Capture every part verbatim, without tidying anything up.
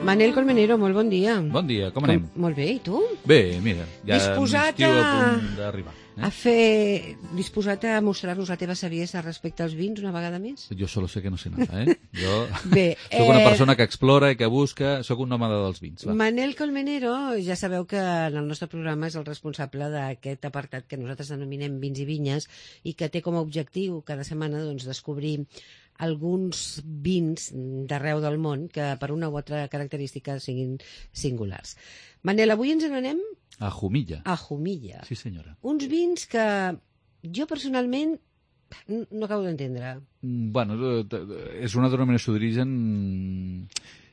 Manel Colmenero, molt bon dia. Bon dia, com anem? Com, molt bé, i tu? Bé, mira, ja disposat l'estiu a... a punt d'arribar. Eh? A fer... Disposat a mostrar-nos la teva saviesa respecte als vins una vegada més? Jo solo sé que no sé nada, eh? Jo Bé, soc una eh... persona que explora i que busca, soc un nòmada dels vins. Va. Manel Colmenero, ja sabeu que en el nostre programa és el responsable d'aquest apartat que nosaltres denominem Vins i Vinyes i que té com a objectiu cada setmana doncs, descobrir alguns vins d'arreu del món que per una o altra característica siguin singulars. Manel, avui ens n'anem a Jumilla. A Jumilla. Sí, senyora. Uns vins que jo personalment no acabo d'entendre. Bueno, és una denominació d'origen,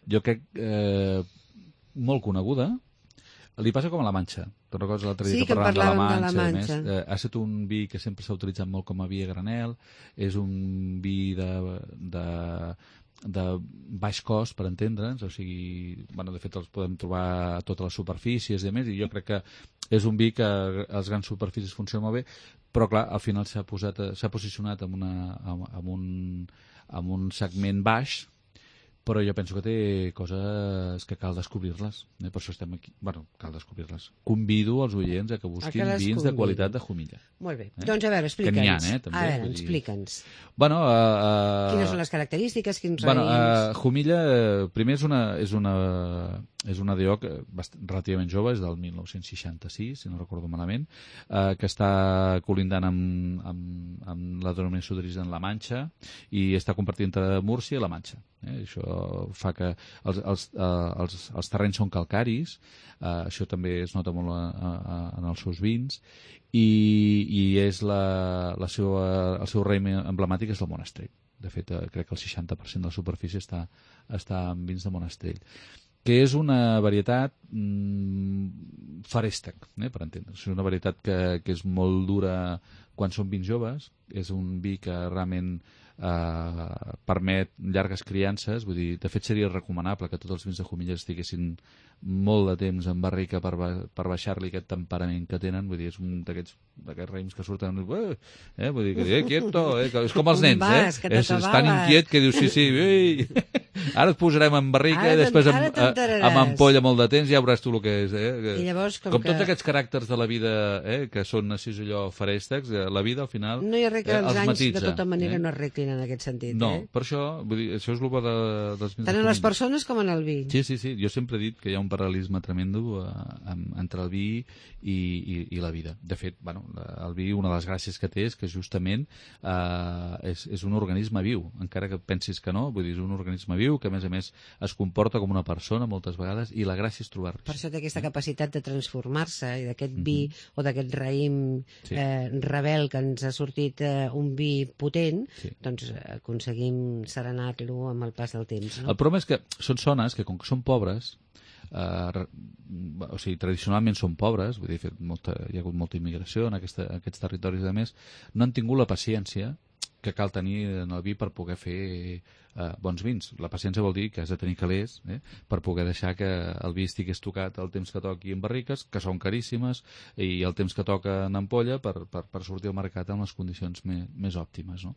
jo crec, eh, molt coneguda. Li passa com a la Manxa. Te'n recordes l'altre dia sí, que parlàvem de la Manxa? De la Manxa. Més, eh, ha estat un vi que sempre s'ha utilitzat molt com a vi a granel, és un vi de, de, de baix cost, per entendre'ns, o sigui, bueno, de fet els podem trobar a totes les superfícies i a més, i jo crec que és un vi que a les grans superfícies funciona molt bé, però clar, al final s'ha posat, s'ha posicionat en, una, en, un, en un segment baix, però jo penso que té coses que cal descobrir-les. Eh? Per això estem aquí. Bueno, cal descobrir-les. Convido els oients a que busquin a que vins de qualitat de Jumilla. Molt bé. Eh? Doncs a veure, explica'ns. Que n'hi ha, eh? També, a veure, explica'ns. Bueno, uh, uh, quines són les característiques, quins bueno, raïms? Uh, Jumilla, uh, primer és una, és una, és una D O C relativament jove, és del mil nou-cents seixanta-sis, si no recordo malament, uh, que està colindant amb, amb, amb la denominació d'origen La Manxa i està compartint entre Múrcia i La Manxa. Eh? Això fa que els, els, uh, els, els terrenys són calcaris, uh, això també es nota molt a, a, en els seus vins, i, i és la, la seva, el seu raïm emblemàtic és el Monastrell. De fet, uh, crec que el seixanta per cent de la superfície està, està en vins de Monastrell, que és una varietat mm, farèstec, eh, per entendre's. És una varietat que, que és molt dura quan són vins joves, és un vi que realment Uh, permet llargues criances, vull dir, de fet seria recomanable que tots els vins de Jumilla estiguessin molt de temps en barrica per, ba per baixar-li aquest temperament que tenen, vull dir, és un d'aquests raïms que surten, eh, vull dir, que eh, quieto, eh, que és com els nens, eh, és, és tan inquiet que dius, sí, sí, ei, ara et posarem en barrica ara i després amb, amb ampolla molt de temps ja veuràs tu el que és, eh, que, I llavors, com, com que... tots aquests caràcters de la vida, eh, que són així allò farèstecs, la vida al final no hi ha res que eh, els anys matitza, de tota manera eh? no arreglin en aquest sentit, no, eh? per això, vull dir, això és el bo de, dels vins. Tant en les persones com en el vi. Sí, sí, sí. Jo sempre he dit que hi ha un paral·lelisme tremendo eh, entre el vi i, i, i la vida. De fet, bueno, el vi, una de les gràcies que té és que justament eh, és, és un organisme viu, encara que pensis que no, vull dir, és un organisme viu que a més a més es comporta com una persona moltes vegades i la gràcia és trobar-lo. Per això té aquesta capacitat de transformar-se i d'aquest vi mm-hmm. o d'aquest raïm sí. eh, rebel que ens ha sortit eh, un vi potent, sí. doncs aconseguim serenar-lo amb el pas del temps. No? El problema és que són zones que, com que són pobres, eh, o sigui, tradicionalment són pobres, vull dir, fet molta, hi ha hagut molta immigració en, aquesta, en aquests territoris, a més, no han tingut la paciència que cal tenir en el vi per poder fer eh, bons vins. La paciència vol dir que has de tenir calés eh, per poder deixar que el vi estigui estocat el temps que toqui en barriques, que són caríssimes, i el temps que toca en ampolla per, per, per sortir al mercat en les condicions més, més òptimes. No?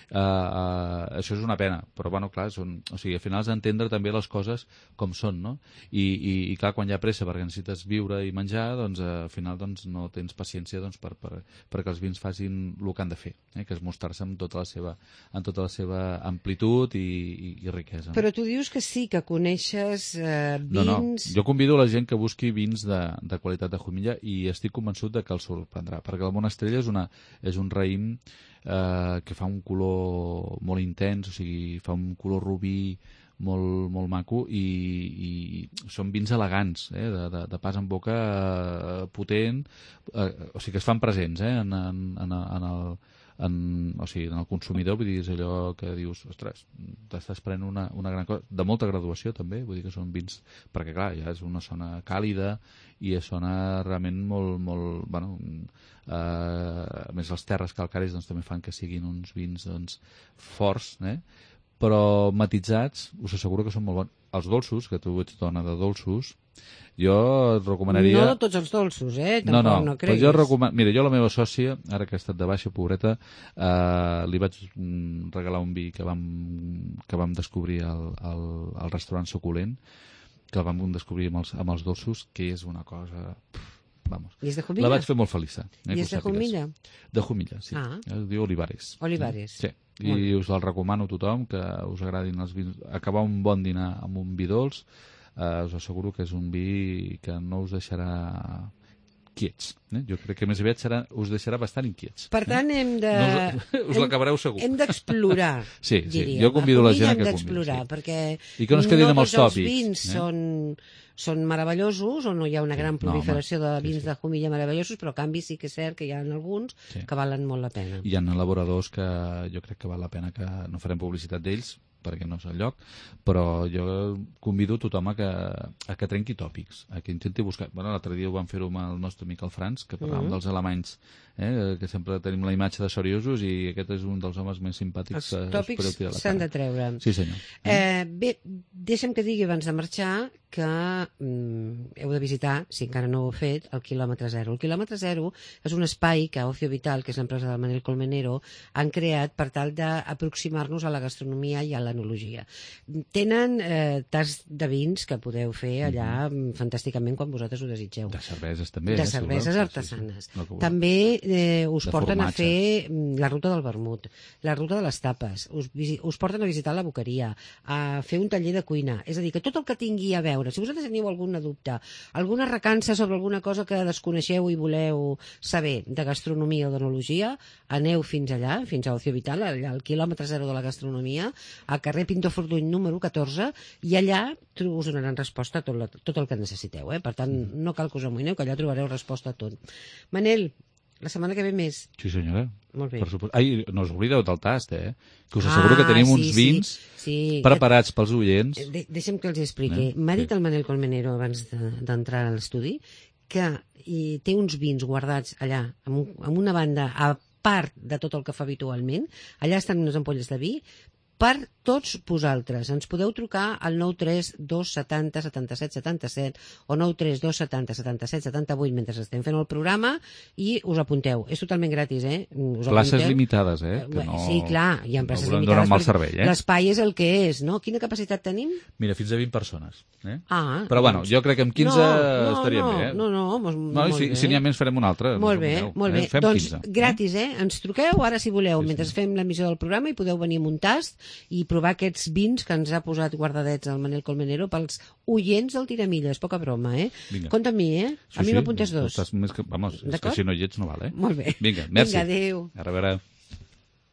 Uh, uh, això és una pena, però bueno, clar, són, o sigui, al final has d'entendre també les coses com són, no? I, i, i clar, quan hi ha pressa perquè necessites viure i menjar, doncs al final doncs, no tens paciència doncs, per, per, perquè els vins facin el que han de fer, eh, que és mostrar-se amb tot la seva, en tota la seva amplitud i, i, i riquesa. Però tu dius que sí, que coneixes eh, vins... No, no, jo convido la gent que busqui vins de, de qualitat de Jumilla i estic convençut de que el sorprendrà, perquè el Monastrell és, una, és un raïm eh, que fa un color molt intens, o sigui, fa un color rubí molt, molt maco i, i són vins elegants, eh, de, de, de pas en boca eh, potent, eh, o sigui que es fan presents eh, en, en, en, en el En, o sigui, en el consumidor, vull dir, és allò que dius, ostres, t'estàs prenent una, una gran cosa, de molta graduació també, vull dir que són vins, perquè clar, ja és una zona càlida i és zona realment molt, molt, bueno, eh, a més les terres calcàries doncs, també fan que siguin uns vins doncs, forts, eh? Però matitzats, us asseguro que són molt bons. Els dolços, que tu ets dona de dolços, jo et recomanaria... No de tots els dolços, eh? Tampoc no, no, no creguis. Jo recoman... Mira, jo la meva sòcia, ara que ha estat de baixa, pobreta, eh, li vaig regalar un vi que vam, que vam descobrir al, al, al restaurant Suculent, que el vam descobrir amb els, amb els dolços, que és una cosa... Pff, vamos. I és de Jumilla? La vaig fer molt feliç. Eh, I és de Jumilla? De Jumilla, sí. Ah. Es diu Olivares. Olivares. Sí. I us el recomano a tothom, que us agradin els vins. Acabar un bon dinar amb un vi dolç, eh, us asseguro que és un vi que no us deixarà quiets. Eh? Jo crec que més aviat serà, us deixarà bastant inquiets. Per tant, eh? hem de... No us us l'acabareu segur. Hem d'explorar, sí, sí. diríem. Jo convido la gent a hem que d'explorar, sí. perquè I que no es quedin amb els tots els tòpics. vins eh? són, són meravellosos, o no hi ha una Sí. gran No, proliferació home. de Sí, vins sí. de Jumilla meravellosos, però a canvi sí que és cert que hi ha alguns Sí. que valen molt la pena. Hi ha elaboradors que jo crec que val la pena que no farem publicitat d'ells, perquè no és el lloc, però jo convido tothom a que, a que trenqui tòpics, a que intenti buscar... Bueno, l'altre dia ho vam fer-ho amb el nostre amic el Franz, que parlàvem Mhm. dels alemanys, eh, que sempre tenim la imatge de seriosos, i aquest és un dels homes més simpàtics. Els que es tòpics podeu tirar a la s'han cara. de treure. Sí, senyor. Eh, bé, deixa'm que digui abans de marxar que mm, heu de visitar, si encara no ho heu fet, el quilòmetre zero. El quilòmetre zero és un espai que Ocio Vital, que és l'empresa del Manel Colmenero, han creat per tal d'aproximar-nos a la gastronomia i a l'enologia. Tenen eh, tas de vins que podeu fer allà mm-hmm. fantàsticament quan vosaltres ho desitgeu. De cerveses també. De eh, si cerveses voleu. artesanes. Sí, sí. No, que voleu. També eh, us De porten a formatges. fer mm, la ruta del vermut, la ruta de les tapes, us, visi- us porten a visitar la boqueria, a fer un taller de cuina. És a dir, que tot el que tingui a veure, si vosaltres teniu algun dubte, alguna recança sobre alguna cosa que desconeixeu i voleu saber de gastronomia o d'enologia, aneu fins allà, fins a Ocio Vital, allà al quilòmetre zero de la gastronomia, a carrer Pintor Fortuny número catorze, i allà tro- us donaran resposta a tot, la, tot el que necessiteu. Eh? Per tant, no cal que us amoïneu, que allà trobareu resposta a tot. Manel, la setmana que ve més. Sí, senyora. Molt bé. Per supost. Ai, no us oblideu del tast, eh? Que us asseguro que tenim Ah, sí, uns vins sí, sí. preparats pels oients. De deixa'm que els expliqui. Eh? M'ha dit Sí. el Manel Colmenero abans de- d'entrar a l'estudi que i té uns vins guardats allà, amb, un, amb una banda a part de tot el que fa habitualment. Allà estan unes ampolles de vi per tots vosaltres. Ens podeu trucar al nou tres dos setanta setanta-set setanta-set o nou tres dos setanta setanta-set setanta-vuit mentre estem fent el programa i us apunteu. És totalment gratis, eh? Us Places apunteu. limitades, eh? Que Eh, no, sí, clar, hi ha places no volem limitades. donar un mal perquè servei, eh? L'espai és el que és, no? Quina capacitat tenim? Mira, fins a vint persones. Eh? Ah, Però bueno, doncs- jo crec que amb quinze no, no, estaríem no, bé, eh? No, no, mos, No, i molt si, bé. si n'hi ha més farem una altra. Molt no bé, us molt eh? bé. Fem Doncs quinze. gratis, eh? Ens truqueu ara si voleu, Sí, mentre sí. fem l'emissió del programa, i podeu venir amb un tast i provar aquests vins que ens ha posat guardadets el Manel Colmenero pels oients del Tiramilles. Poca broma, eh? Vinga. Compte amb mi, eh? Sí, A mi sí, m'apuntes dos. tu estàs més que, vamos, és que D'acord? si no hi ets no val, eh? Molt bé. Vinga, merci. Vinga, adéu. A reveure.